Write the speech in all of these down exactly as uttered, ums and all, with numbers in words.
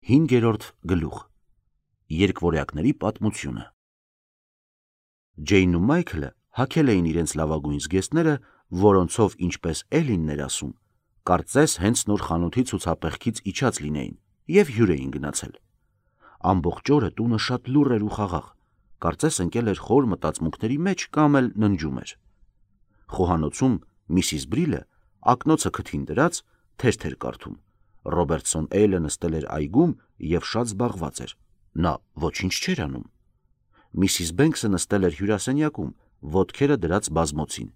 Հինգերորդ գլուխ Երկվորյակների պատմությունը Ջեյնն ու Մայքլը հագել էին իրենց լավագույն զգեստները, որոնցով, ինչպես Էլինն էր ասում, կարծես հենց նոր խանութի ցուցափեղկից իջած լինեին և հյուր էին գնացել։ Ամբողջ օրը տունը շատ լուռ էր ու խաղաղ, կարծես ընկել էր խոր մտածմունքների մեջ կամ էլ ննջում էր։ Խոհանոցում Միսիս Բրիլը ակնոցը քթին դրած թերթ էր կարդում։ Ռոբերտսոն Էյլը նստել էր այգում և շատ զբաղված էր։ Նա ոչինչ չէր անում։ Միսիս Բենքսը նստել էր հյուրասենյակում, ոտքերը դրած բազմոցին,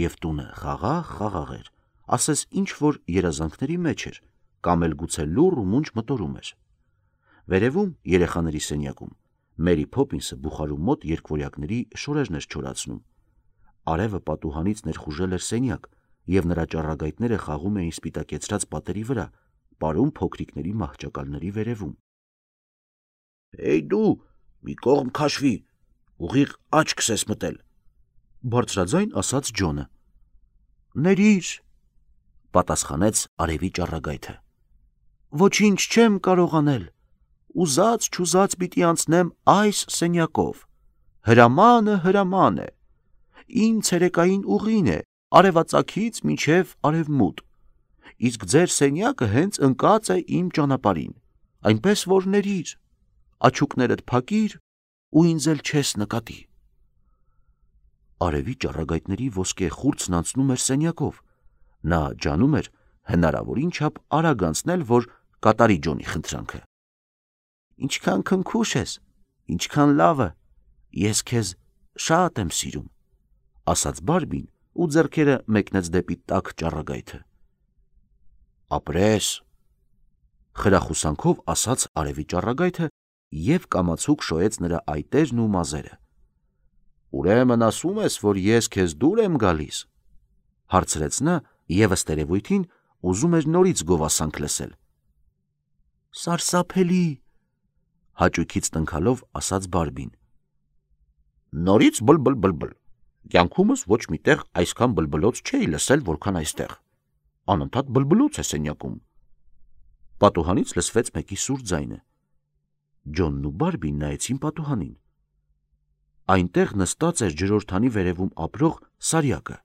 և տունը խաղաղ-խաղաղ էր, ասես ինչ-որ երազանքների մեջ էր, կամ էլ գուցե լուռ ու մունջ մտորում էր։ Վերևում, երեխաների սենյակում, Մերի Փոփինսը բուխարու մոտ երկվորյակների շորերն էր չորացնում։ Արևը պատուհանից ներխուժել էր սենյակ, և նրա ճառագայթները խաղում էին սպիտակեցրած պատերի վրա, պարում փոքրիկների մահճակալների վերևում։ «Էй դու, մի կողմ քաշվի, ուղիղ աչքս ես մտել», բարձրաձայն ասաց Ջոնը։ «Ներիր», պատասխանեց արևի ճառագայթը։ «Ոչինչ չեմ կարող անել, ուզած-չուզած պիտի անցնեմ այս սենյակով։ Հրամանը հրաման է։ Իմ ցերեկային ուղին է արևածագից մինչև արևմուտք, իսկ ձեր սենյակը հենց ընկած է իմ ճանապարհին, այնպես որ ներիր, աչուկներդ փակիր ու ինձ էլ չես նկատի»։ Արևի ճառագայթների ոսկե խուրձն անցնում էր սենյակով։ Նա ջանում էր հնարավորին չափ արագ անցնել, որ կատարի Ջոնի խնդրանքը։ «Ինչքան քնքուշ ես, ինչքան լավը, ես քեզ շատ եմ սիրում», ասաց Բարբին ու ձեռքերը մեկնեց դեպի տաք ճառագայթը։ «Ապրես», խրախուսանքով ասաց արևի ճառագայթը և կամացուկ շոյեց նրա այտերն ու մազերը։ «Ուրեմն ասում ես, որ ես քեզ դուր եմ գալիս», հարցրեց նա և ըստ երևույթին ուզում էր նորից գովասանք լսել։ «Սարսափելի», հաճույքից տնքալով ասաց Բարբին։ «Նորից բլբլ-բլբլ, կյանքումս ոչ մի տեղ այսքան բլբլոց չէի լսել, որքան այստեղ, անընդհատ բլբլոց է սենյակում»։ Պատուհանից լսվեց մեկի սուր ձայնը։ Ջոնն ու Բարբին նայեցին պատուհանին։ Այնտեղ նստած էր ջրորդանի վերևում ապրող Սարյակը։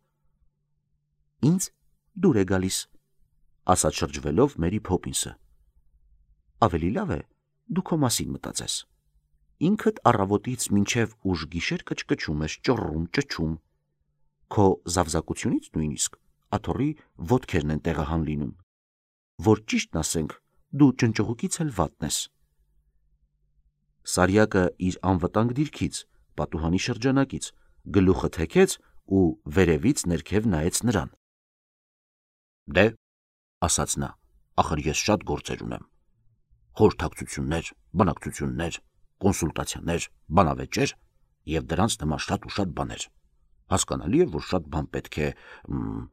«Ինձ դուր է գալիս», ասաց շրջվելով Մերի Փոփինսը։ «Ավելի լավ է դու քո մասին մտածես։ Ինքդ առավոտից մինչև ուշ գիշեր կչկչում ես, ճռռում, ճչում։ Քո զավզակությունից նույնիսկ աթոռի ոտքերն են տեղահան լինում, որ ճիշտն ասենք, դու ճնճղուկից էլ վատն ես»։ Սարյակը իր անվտանգ դիրքից, պատուհանի շրջանակից, գլուխը թեքեց ու վերևից ներքև նայեց նրան։ «Դե», ասաց նա, «ախր ես շատ գործեր ունեմ. խորհրդակցություններ, բանակցություններ, կոնսուլտացիաներ, բանավեճեր և դրանց նման շատ ու շատ բաներ։ Հասկանալի է, որ շատ բան պետք է մ,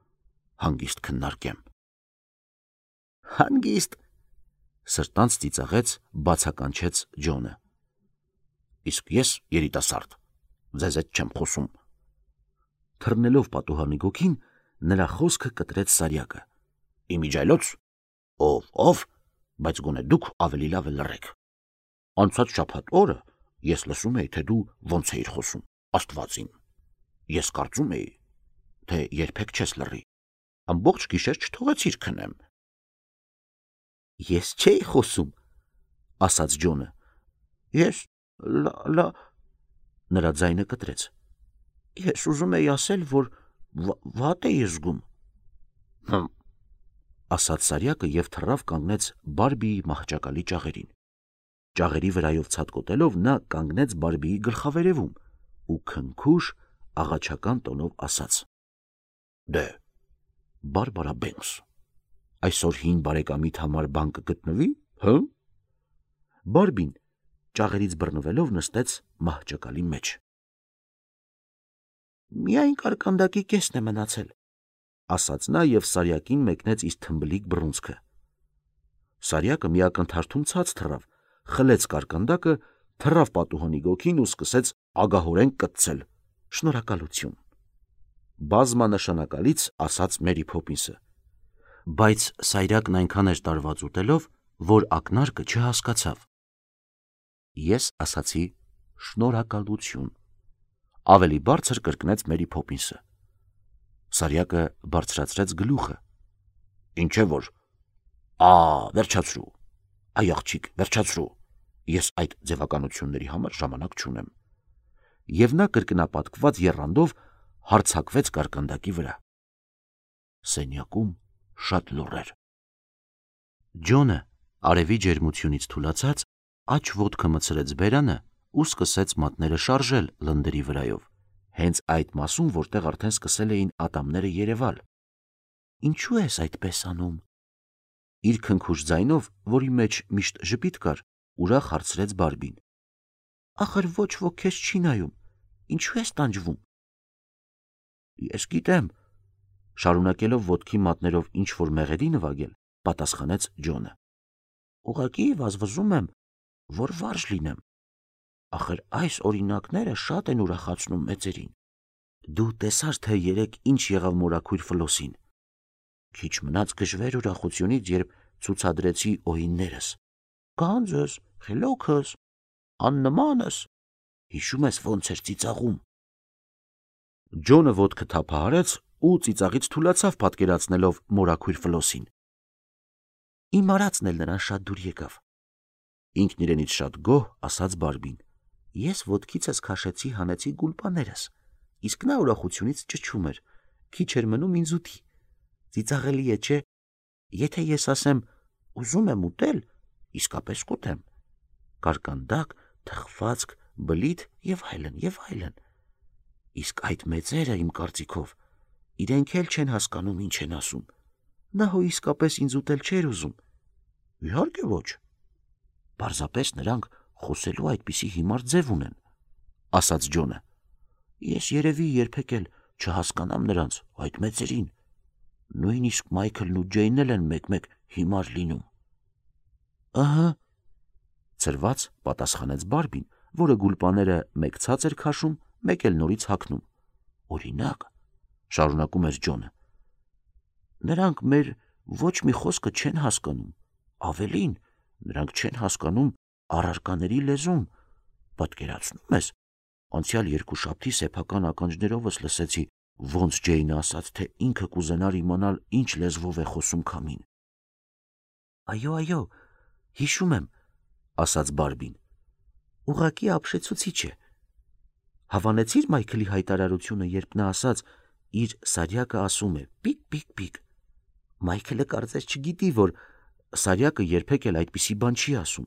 հանգիստ քննարկեմ»։ «Հանգիստ», սրտանց ծիծաղեց, բացականչեց Ջոնը։ «Իսկ ես երիտասարդ, ձեզ հետ չեմ խոսում»։ Թռնելով պատուհանի գոգին, նրա խոսքը կտրեց Սարյակը։ «Իմիջիայլոց, ով ով, բայց գոնե դուք ավելի լավ է լռեք։ Անցած շաբաթ օրը ես լսում էի, թե դու ոնց էիր խոսում, Աստվածին։ Ես կարծում էի, թե երբեք չես լռի, ամբողջ գիշեր չթողեցիր քնեմ»։ «Ես չէի խոսում», ասաց Ջոնը։ «Ես լա… նրա ձայնը կտրեց։ «Ես ուզում էի ասել, որ վատ էի զգում»։ «Հմ», ասաց Սարյակը և թռավ կանգնեց Բարբիի մահճակալի ճաղերին։ Ճաղերի վրայով ցատկոտելով նա կանգնեց Բարբիի գլխավերևում ու քնքուշ աղաչական տոնով ասաց. «Դե, Բարբարա Բենքս, այսօր հին բարեկամիդ համար բան կգտնվի, հը»։ Բարբին ճաղերից բռնվելով նստեց մահճակալի մեջ։ «Միայն կարկանդակի կեսն է մնացել», ասաց նա և Սարյակին մեկնեց իր թմբլիկ բռունցքը։ Սարյակը մի ակնթարթում ցած թռավ, խլեց կարկանդակը, թռավ պատուհանի գոգին ու սկսեց ագահորեն կտցել։ «Շնորհակալություն», բազմանշանակալից ասաց Մերի Փոփինսը։ Բայց Սարյակն այնքան էր տարված ուտելով, որ ակնարկը չհասկացավ։ Ես ասացի շնորհակալություն, ավելի բարձր կրկնեց Մերի Փոփինսը։ Սարյակը բարձրացրեց գլուխը։ Ինչ է որ։ Ա, վերջացրու։ Այ աղջիկ, վերջացրու։ Ես այդ ձևականությունների համար ժամանակ չունեմ։ Եվ նա կրկնապատկված եռանդով հարձակվեց կարկանդակի վրա։ Սենյակում շատ լուռ էր։ Ջոնը արևի ջերմությունից թուլացած աջ ոտքը մտցրեց բերանը ու սկսեց մատները շարժել լնդերի վրայով, հենց այդ մասում, որտեղ արդեն սկսել էին ատամները երևալ։ Ինչու ես այդպես անում։ Իր քնքուշ ձայնով, որի մեջ միշտ ժպիտ կար, ուրախ հարցրեց Բարբին։ Ախր ոչ ոք քեզ չի նայում, ինչու ես տանջվում։ Ես գիտեմ, շարունակելով ոտքի մատներով ինչ որ մեղեդի նվագել, պատասխանեց Ջոնը։ Ուղղակի վազվզում եմ, որ վարժ լինեմ։ Ախր այս օրինակները շատ են ուրախացնում մեծերին։ Դու տեսար, թե երեկ ինչ եղավ մորաքույր Ֆլոսին։ Քիչ մնաց գժվեր ուրախությունից, երբ ցուցադրեցի օհիններս։ Գանձս, խելոքս, աննմանս, հիշում ես ոնց էր ծիծաղում։ Ջոնը ոտքը թափահարեց ու ծիծաղից թուլացավ, պատկերացնելով մորաքույր Ֆլոսին։ Իմ արածն էլ նրան շատ դուր եկավ։ Ինքն իրենից շատ գոհ ասաց Բարբին։ Ես ոտքիցս քաշեցի հանեցի գուլպաներս, իսկ նա ուրախությունից ճչում էր, քիչ էր մնում ինձ ուտի։ Ծիծաղելի է, չէ։ Եթե ես ասեմ ուզում եմ ուտել, իսկապես կուտեմ։ Կարկանդակ, թխվածք, բլիթ եւ այլն եւ այլն։ Իսկ այդ մեծերը, իմ կարծիքով, իրենք էլ չեն հասկանում ինչ են ասում։ Նա հո իսկապես ինձ ուտել չէր ուզում։ Իհարկե ոչ։ Պարզապես նրանք խոսելու այդպիսի հիմար ձև ունեն, ասաց Ջոնը։ Ես երևի երբեք էլ չհասկանամ նրանց այդ մեծերին։ Նույնիսկ Մայքլն ու Ջեյնն էլ են մեկ-մեկ հիմար լինում։ Ահա, ծրված պատասխանեց Բարբին, որը գուլպաները մեկ ցած էր քաշում, մեկ էլ նորից հագնում։ Օրինակ, շարունակում էր Ջոնը։ Նրանք մեր ոչ մի խոսքը չեն հասկանում, ավելին, նրանք չեն հասկանում առարկաների լեզուն, պատկերացնում ես, անցյալ երկուշաբթի սեփական ականջներովս լսեցի, ոնց Ջեյնը ասաց, թե ինքը կուզենար իմանալ ինչ լեզվով է խոսում քամին։ Այո, այո, հիշում եմ, ասաց Բարբին։ Ուղղակի ապշեցուցիչ է։ Հավանեցիր Մայքլի հայտարարությունը, երբ նա ասաց, իր Սարյակը ասում է պիկ-պիկ-պիկ։ Մայքլը կարծես չգիտի, որ Սարյակը երբեք էլ այդպիսի բան չի ասում,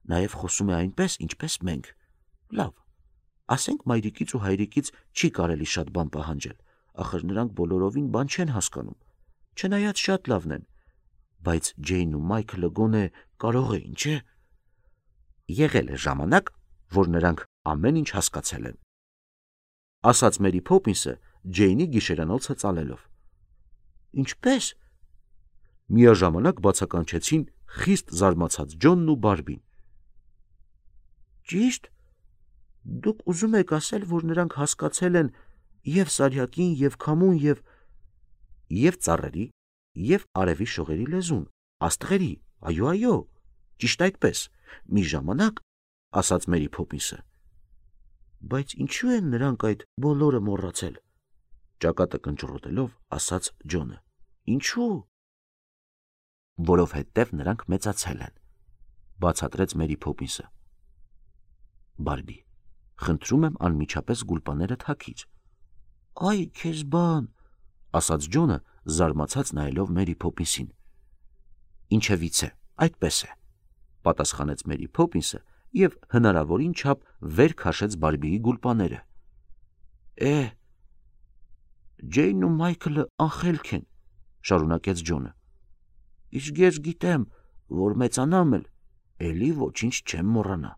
նաև խոսում է այնպես, ինչպես մենք։ Լավ, ասենք մայրիկից ու հայրիկից չի կարելի շատ բան պահանջել, ախր նրանք բոլորովին բան չեն հասկանում, չնայած շատ լավն են, բայց Ջեյնն ու Մայքլը գոնե կարող էին, չէ։ Եղել է ժամանակ, որ նրանք ամեն ինչ հասկացել են, ասաց Մերի Փոփինսը Ջեյնի գիշերանոցը ծալելով։ Ինչպես։ Միաժամանակ բացականչեցին խիստ զարմացած Ջոնն ու Բարբին։ Ճիշտ։ Դուք ուզում եք ասել, որ նրանք հասկացել են եւ Սարյակին, եւ քամուն, եւ եւ ծառերի, եւ արևի շողերի լեզուն, աստղերի, այո, այո, ճիշտ այդպես, մի ժամանակ, ասաց Մերի Փոփինսը։ Բայց ինչու են նրանք այդ բոլորը մոռացել, ճակատը կնճռոտելով ասաց Ջոնը։ Ինչու։ Որովհետև նրանք մեծացել են, բացատրեց Մերի Փոփինսը։ Բարբի, խնդրում եմ անմիջապես գուլպաները թաքիր։ Այ քեզ բան, ասաց Ջոնը, զարմացած նայելով Մերի Փոփինսին։ Ինչևից է, այդպես է, պատասխանեց Մերի Փոփինսը եւ հնարավորին չափ վեր քաշեց Բարբիի գուլպաները։ Է, Ջեյնն ու Մայքլը անխելք են, շարունակեց Ջոնը։ Իսկ ես գիտեմ, որ մեծանամ էլ, էլի ոչինչ չեմ մոռանա։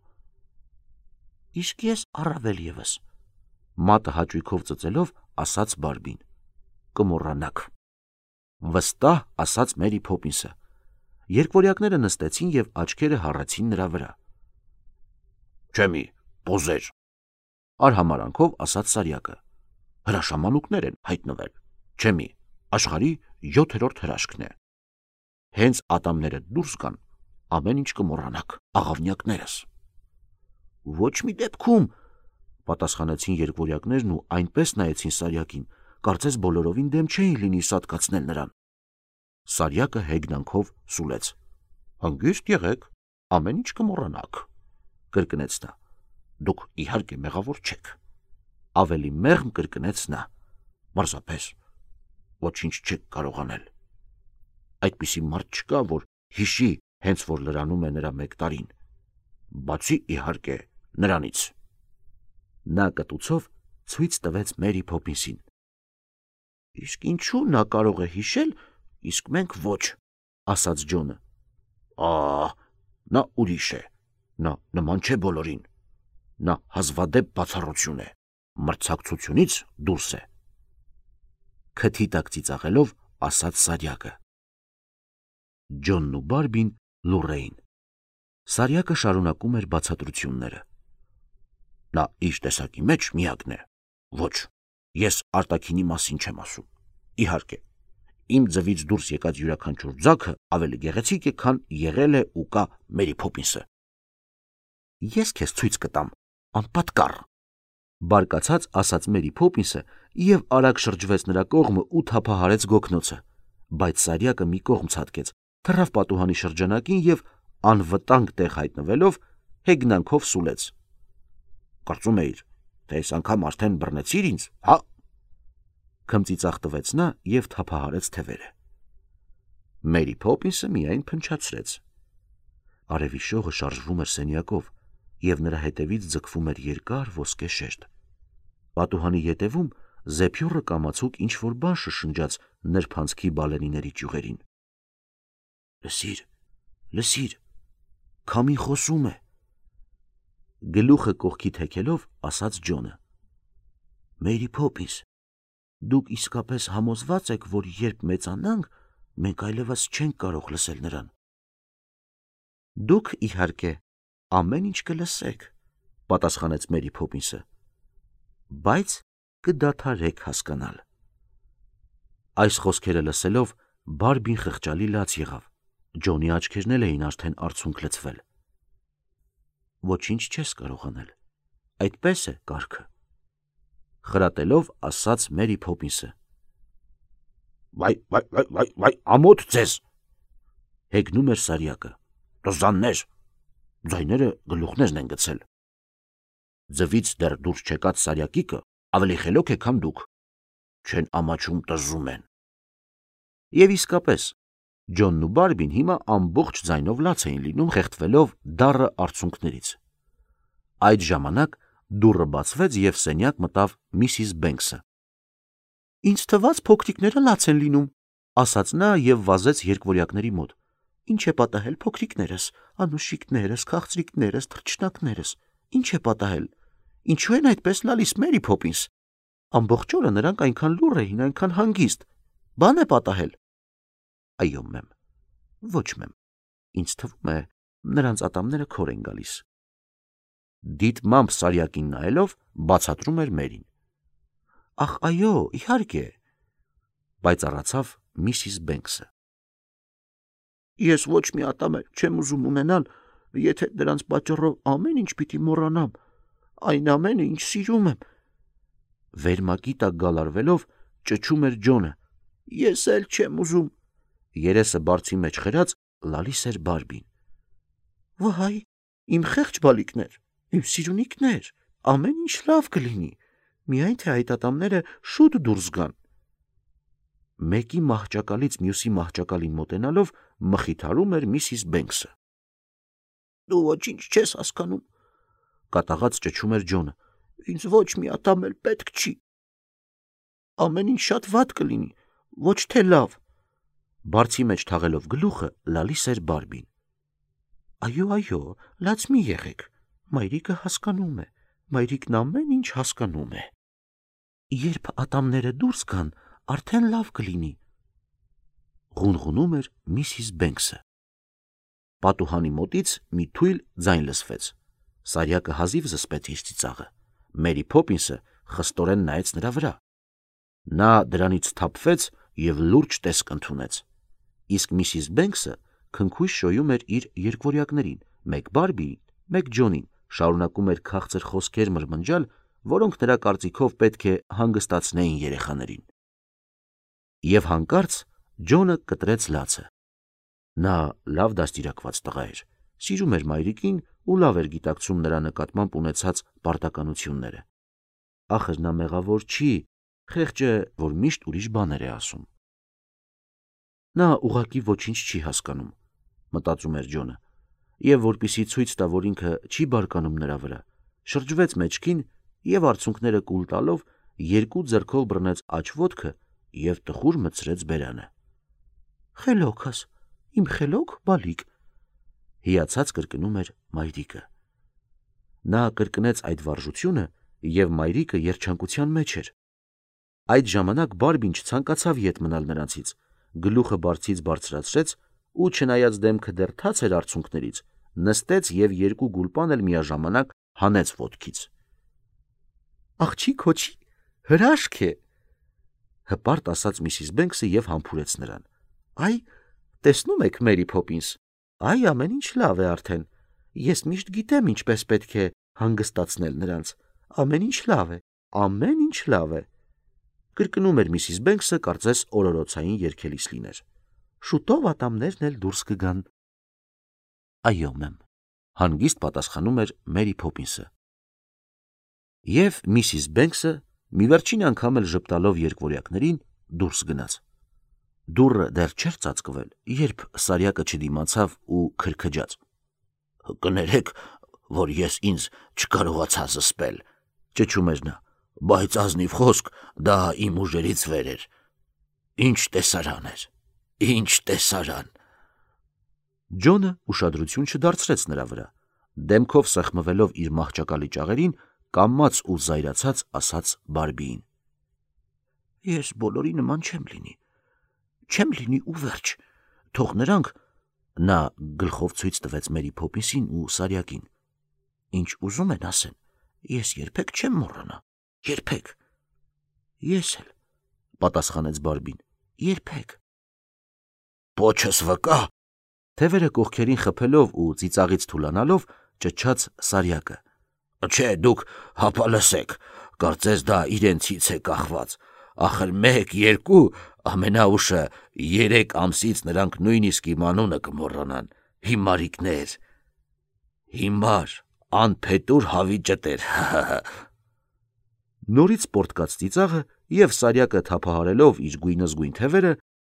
Իսկ ես առավել եւս, մատը հաճույքով ծծելով ասաց Բարբին։ Կմոռանաք։ Վստահ ասաց Մերի Փոփինսը։ Երկվորյակները նստեցին եւ աչքերը հառեցին նրա վրա։ Չեմի, պոզեր, արհամարանքով ասաց Սարյակը։ Հրաշամանուկներ են հայտնվել։ Չեմի, աշխարհի յոթերորդ հրաշքն է։ Հենց ատամները դուրս գան, ամեն ինչ կմոռանաք, աղավնյակներս։ Ոչ մի դեպքում, պատասխանեցին երկվորյակներն ու այնպես նայեցին Սարյակին, կարծես բոլորովին դեմ չէին լինի սատկացնել նրան։ Սարյակը հեգնանքով սուլեց. Հանգիստ եղեք, ամեն ինչ կմոռանաք, կրկնեց նա։ Դուք իհարկե մեղավոր չեք։ Ավելի մեղմ կրկնեց նա. Պարզապես ոչինչ չեք կարող անել։ Այդպիսի մարդ չկա, որ հիշի, հենց որ լրանում է նրա մեկ տարին, բացի իհարկե նրանից։ Նա կտուցով ցույց տվեց Մերի Փոփինսին։ Իսկ ինչու նա կարող է հիշել, իսկ մենք ոչ, ասաց Ջոնը։ Ահ, նա ուրիշ է, նա նման չէ բոլորին, նա հազվադեպ բացառություն է, մրցակցությունից դուրս է։ Քթի տակ ծիծաղելով ասաց Սարյակը։ Ջոնն ու Բարբին լուռ էին։ Սարյակը շարունակում էր բացատրությունները։ Նա իր տեսակի մեջ միակն է։ Ոչ, ես արտաքինի մասին չեմ ասում։ Իհարկե, իմ ձվից դուրս եկած յուրաքանչյուր ձագը ավելի գեղեցիկ է, քան եղել է ու կա Մերի Փոփինսը։ Ես քեզ ցույց կտամ, անպատկառ, բարկացած ասաց Մերի Փոփինսը եւ արագ շրջվեց նրա կողմը ու թափահարեց գոգնոցը, բայց Սարյակը մի կողմ ցատկեց, թռավ պատուհանի շրջանակին եւ անվտանգ տեղ հայտնվելով հեգնանքով սուլեց։ Կարծում էիր, թե այս անգամ արդեն բռնեցիր ինձ, հա։ Քմծիծաղ տվեց նա եւ թափահարեց թևերը։ Մերի Փոփինսը միայն փնչացրեց։ Արևի շողը շարժվում էր սենյակով եւ նրա հետևից ձգվում էր երկար ոսկե շերտ։ Պատուհանի ետևում զեփյուռը կամացուկ ինչ որ բան շշնջաց նրբանցքի բալենիների ճյուղերին։ Լսիր, լսիր, քամին խոսում է։ Գլուխը կողքի թեքելով ասաց Ջոնը։ Մերի Փոփինս, դուք իսկապես համոզված եք, որ երբ մեծանանք, մենք այլևս չենք կարող լսել նրան։ Դուք իհարկե ամեն ինչ կլսեք, պատասխանեց Մերի Փոփինսը, բայց կդադարեք հասկանալ։ Այս խոսքերը լսելով Բարբին խղճալի լաց եղավ։ Ջոնի աչքերն էլ էին արդեն արցունք լցվել։ Ոչինչ չես կարող անել, այդպես է կարգը, խրատելով ասաց Մերի Փոփինսը։ Վայ, վայ, վայ, վայ, վայ, ամոթ ձեզ, հեգնում էր Սարյակը, տզաններ, ձայները գլուխներն են գցել։ Ձվից դեռ դուրս չեկած Սարյակիկը ավելի խելոք է, քան դուք, չեն ամաչում տզում են։ Եվ իսկապես, Ջոնն ու Բարբին հիմա ամբողջ ձայնով լաց էին լինում, խեղդվելով դառը արցունքներից։ Այդ ժամանակ դուռը բացվեց եւ սենյակ մտավ Միսիս Բենքսը։ Ինձ թվաց փոքրիկները լաց են լինում, ասաց նա եւ վազեց երկվորյակների մոտ։ Ինչ է պատահել փոքրիկներս, անուշիկներս, քաղցրիկներս, թռչնակներս, ինչ է պատահել։ Ինչու են այդպես լալիս, Մերի Փոփինս։ Ամբողջ օրը նրանք այնքան լուռ էին, այնքան հանգիստ։ Բան է պատահել։ Այո, մեմ, ոչ մեմ, ինձ թվում է, նրանց ատամները քոր են գալիս։ Դիտմամբ Սարյակին նայելով բացատրում էր Մերին։ Ախ, այո, իհարկե, բայց առացավ Միսիս Բենքսը։ Ես ոչ մի ատամ չեմ ուզում ունենալ, եթե դրանց պատճառով ամեն ինչ պիտի մոռանամ, այն ամենը, ինչ սիրում եմ։ Վերմակի տակ գալարվելով ճչում էր Ջոնը։ Ես էլ չեմ ուզում։ Երեսը բարձի մեջ խրած լալիս էր Բարբին։ Վայ, իմ խեղճ բալիկներ, իմ սիրունիկներ, ամեն ինչ լավ կլինի, միայն թե այդ ատամները շուտ դուրս գան։ Մեկի մահճակալից մյուսի մահճակալին մոտենալով մխիթարում էր Միսիս Բենքսը։ Դու ոչինչ չես հասկանում, կատաղած ճչում էր Ջոնը։ Ինձ ոչ մի ատամ էլ պետք չի։ Ամեն ինչ շատ վատ կլինի, ոչ թե լավ։ Բարձի մեջ թաղելով գլուխը լալիս էր Բարբին։ Այո, այո, լաց մի եղեք, մայրիկը հասկանում է, մայրիկն ամեն ինչ հասկանում է։ Երբ ատամները դուրս գան, արդեն լավ կլինի, ղունղունում էր Միսիս Բենքսը։ Պատուհանի մոտից մի թույլ ձայն լսվեց։ Սարյակը հազիվ զսպեց իր ծիծաղը։ Մերի Փոփինսը խստորեն նայեց նրա վրա։ Նա դրանից թափվեց եւ լուրջ տեսք ընդունեց։ Իսկ Միսիս Բենքսը քնքույս շոյում էր իր երկվորյակներին, մեկ Բարբիին, մեկ Ջոնին, շարունակում էր քաղցր խոսքեր մրմնջալ, որոնք նրա կարծիքով պետք է հանգստացնեին երեխաներին։ Եվ հանկարծ Ջոնը կտրեց լացը։ Նա լավ դաստիարակված տղա էր, սիրում էր մայրիկին ու լավ էր գիտակցում նրա նկատմամբ ունեցած պարտականությունները։ Ախր նա մեղավոր չի, խեղճը, որ միշտ ուրիշ բաներ է ասում։ Նա ուղղակի ոչինչ չի հասկանում, մտածում էր Ջոնը, եւ որպեսզի ցույց տա, որ ինքը չի բարկանում նրա վրա, շրջվեց մեջքին եւ արցունքները կուլ տալով երկու ձեռքով բռնեց աջ ոտքը եւ տխուր մտցրեց բերանը։ Խելոքս, իմ խելոք բալիկ, հիացած կրկնում էր մայրիկը։ Նա կրկնեց այդ վարժությունը եւ մայրիկը երջանկության մեջ էր։ Այդ ժամանակ Բարբին չցանկացավ ետ մնալ նրանցից, գլուխը բարձից բարձրացրեց ու չնայած դեմքը դեռ թաց էր արցունքներից, նստեց եւ երկու գուլպան էլ միաժամանակ հանեց ոտքից։ Աղջի քոչի հրաշք է, հպարտ ասաց Միսիս Բենքսը եւ համբուրեց նրան։ Այ, տեսնում եք, Մերի Փոփինս, այ ամեն ինչ լավ է արդեն։ Ես միշտ գիտեմ ինչպես պետք է հանգստացնել նրանց։ Ամեն ինչ լավ է, ամեն ինչ լավ է։ Կրկնում էր Միսիս Բենքսը, կարծես օրորոցային երգելիս լիներ։ Շուտով ատամներն էլ դուրս կգան։ Այո, մեմ, հանգիստ պատասխանում էր Մերի Փոփինսը։ Եվ Միսիս Բենքսը մի վերջին անգամ էլ ժպտալով երկվորյակներին դուրս գնաց։ Դուռը դեռ չէր ծածկվել, երբ Սարյակը չդիմացավ ու քրքջաց։ Կներեք, որ ես ինձ չկարողացա զսպել, ճչում էր նա, բայց ազնիվ խոսք, դա իմ ուժերից վեր էր։ Ինչ տեսարան էր, ինչ տեսարան։ Ջոնը ուշադրություն չդարձրեց նրա վրա, դեմքով սեղմվելով իր մահճակալի ճաղերին, կամաց ու զայրացած ասաց Բարբիին. Ես բոլորի նման չեմ լինի, չեմ լինի ու վերջ, թող նրանք, նա գլխով ցույց տվեց Մերի Փոփինսին ու Սարյակին, ինչ ուզում են ասեն, ես երբեք չեմ մոռանա, երբեք։ Ես էլ, պատասխանեց Բարբին, երբեք։ Պոչս վկա, թևերը կողքերին խփելով ու ծիծաղից թուլանալով ճչաց Սարյակը։ Չէ, դուք հապա լսեք, կարծես դա իրենցից է կախված, ախր մեկ, երկու, ամենաուշը երեք ամսից նրանք նույնիսկ իմ անունը կմոռանան, հիմարիկներ, հիմար, անփետուր հավի ճտեր։ Նորից պորտկաց ծիծաղը եւ Սարյակը թափահարելով իր գույնզգույն թևերը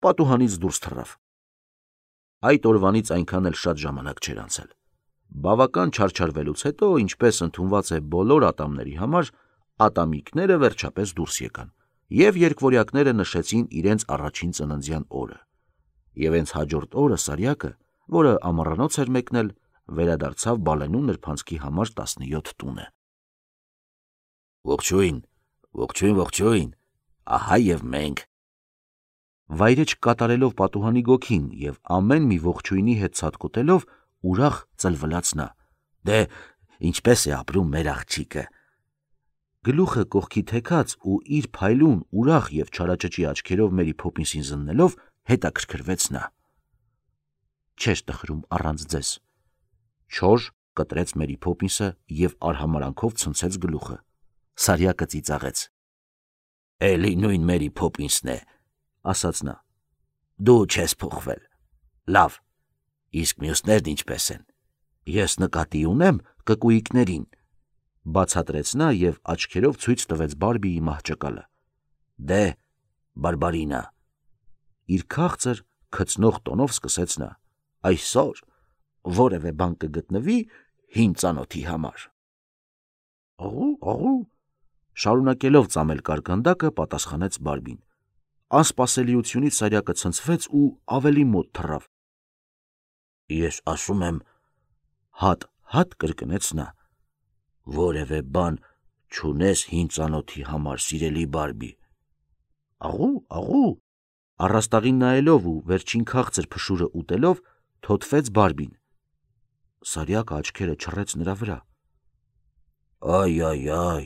պատուհանից դուրս թռավ։ Այդ օրվանից այնքան էլ շատ ժամանակ չէր անցել։ Բավական չարչարվելուց հետո, ինչպես ընդունված է բոլոր ատամների համար, ատամիկները վերջապես դուրս եկան, եւ երկվորյակները նշեցին իրենց առաջին ծննդյան օրը։ Եվ հենց հաջորդ օրը Սարյակը, որը ամառանոց էր մեկնել, վերադարձավ Բալենու նրբանցքի համար տասնյոթ տունը։ Ողջույն, ողջույն, ողջույն, ահա եւ մենք։ Վայրեջ կատարելով պատուհանի գոգին եւ ամեն մի ողջույնի հետ ցատկոտելով, ուրախ ծլվլաց նա։ Դե, ինչպես է ապրում մեր աղջիկը։ Գլուխը կողքի թեքած ու իր փայլուն, ուրախ եւ չարաճճի աչքերով Մերի Փոփինսին զննելով, հետաքրքրվեց նա։ Չէր տխրում առանց ձեզ։ Չոր կտրեց Մերի Փոփինսը եւ արհամարանքով ցնցեց գլուխը։ Սարյակը ծիծաղեց։ Էլի նույն Մերի Փոփինսն է, ասաց նա։ Դու չես փոխվել։ Լավ, իսկ մյուսներն ինչպես են։ Ես նկատի ունեմ կկույիկներին, բացատրեց նա եւ աչքերով ցույց տվեց Բարբիի մահճակալը։ Դե, Բարբարինա։ Իր քաղցր քծնող տոնով սկսեց նա. Այսօր որևէ բան կգտնվի հին ծանոթի համար։ Աղու, աղու, շարունակելով ծամել կարկանդակը, պատասխանեց Բարբին։ Անսպասելիությունից Սարյակը ցնցվեց ու ավելի մոտ թռավ։ Ես ասում եմ, հատ-հատ կրկնեց նա, որևէ բան չունես հին ծանոթի համար, սիրելի Բարբի։ Աղու, աղու, առաստաղին նայելով ու վերջին քաղցր փշուրը ուտելով, թոթվեց Բարբին։ Սարյակը աչքերը չռեց նրա վրա։ Այ, այ, այ,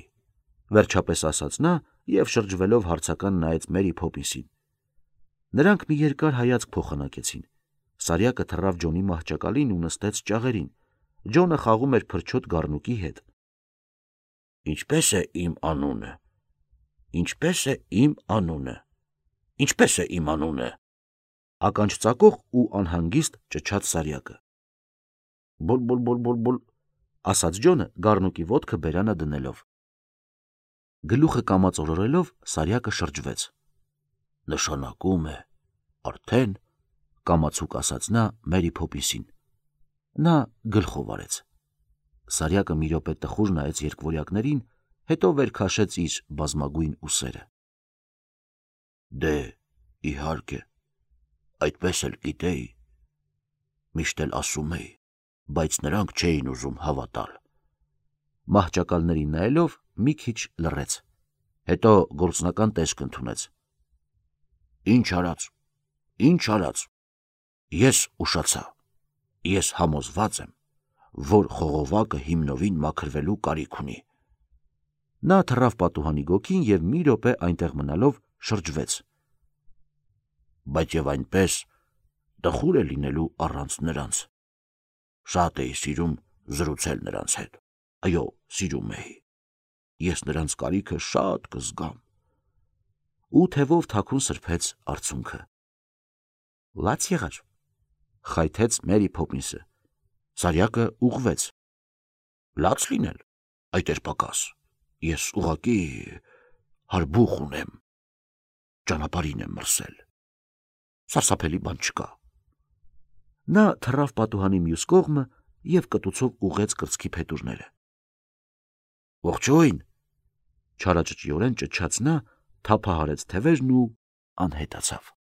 վերջապես ասաց նա եւ շրջվելով հարցական նայեց Մերի Փոփինսին։ Նրանք մի երկար հայացք փոխանակեցին։ Սարյակը թռավ Ջոնի մահճակալին ու նստեց ճաղերին։ Ջոնը խաղում էր փրչոտ գառնուկի հետ։ Ինչպե՞ս է իմ անունը։ Ինչպե՞ս է իմ անունը։ Ինչպե՞ս է իմ անունը։ Ականջ ծակող ու անհանգիստ ճչաց Սարյակը։ Բոլ-բոլ-բոլ-բոլ-բոլ, ասաց Ջոնը գառնուկի ոտքը բերանը դնելով։ Գլուխը կամածորորելով Սարյակը շրջվեց։ Նշանակում է, արդեն, կամացուկ ասաց նա Մերի Փոփինսին։ Նա գլխով արեց։ Սարյակը մի րոպե տխուր նայեց երկվորյակներին, հետո վեր քաշեց իր բազմագույն ուսերը։ Դե, իհարկե, այդպես էլ գիտեի, միշտ էլ ասում էի, բայց նրանք չէին ուզում հավատալ։ Մահճակալներին նայելով մի քիչ լռեց, հետո գործնական տեսք ընդունեց։ Ինչ արած, ինչ արած, ես ուշացա, ես համոզված եմ, որ խողովակը հիմնովին մաքրվելու կարիք ունի։ Նա թռավ պատուհանի գոգին և մի րոպե այնտեղ մնալով շրջվեց։ Բայց և այնպես տխուր է լինելու առանց նրանց։ Շատ էի սիրում զրուցել նրանց հետ, այո, սիրում էի, ես նրանց կարիքը շատ կզգամ։ Ու թևով թաքուն սրբեց արցունքը։ Լաց եղար, խայթեց Մերի Փոփինսը։ Սարյակը ուղղվեց։ Լաց լինել, այդ էր պակաս, ես ուղղակի հարբուխ ունեմ, ճանապարհին եմ մրսել, սարսափելի բան չկա։ Նա թռավ պատուհանի մյուս կողմը և կտուցով ուղղեց կրծքի փետուրները։ Ողջույն, չարաճճիորեն ճչաց նա, թափահարեց թևերն ու անհետացավ։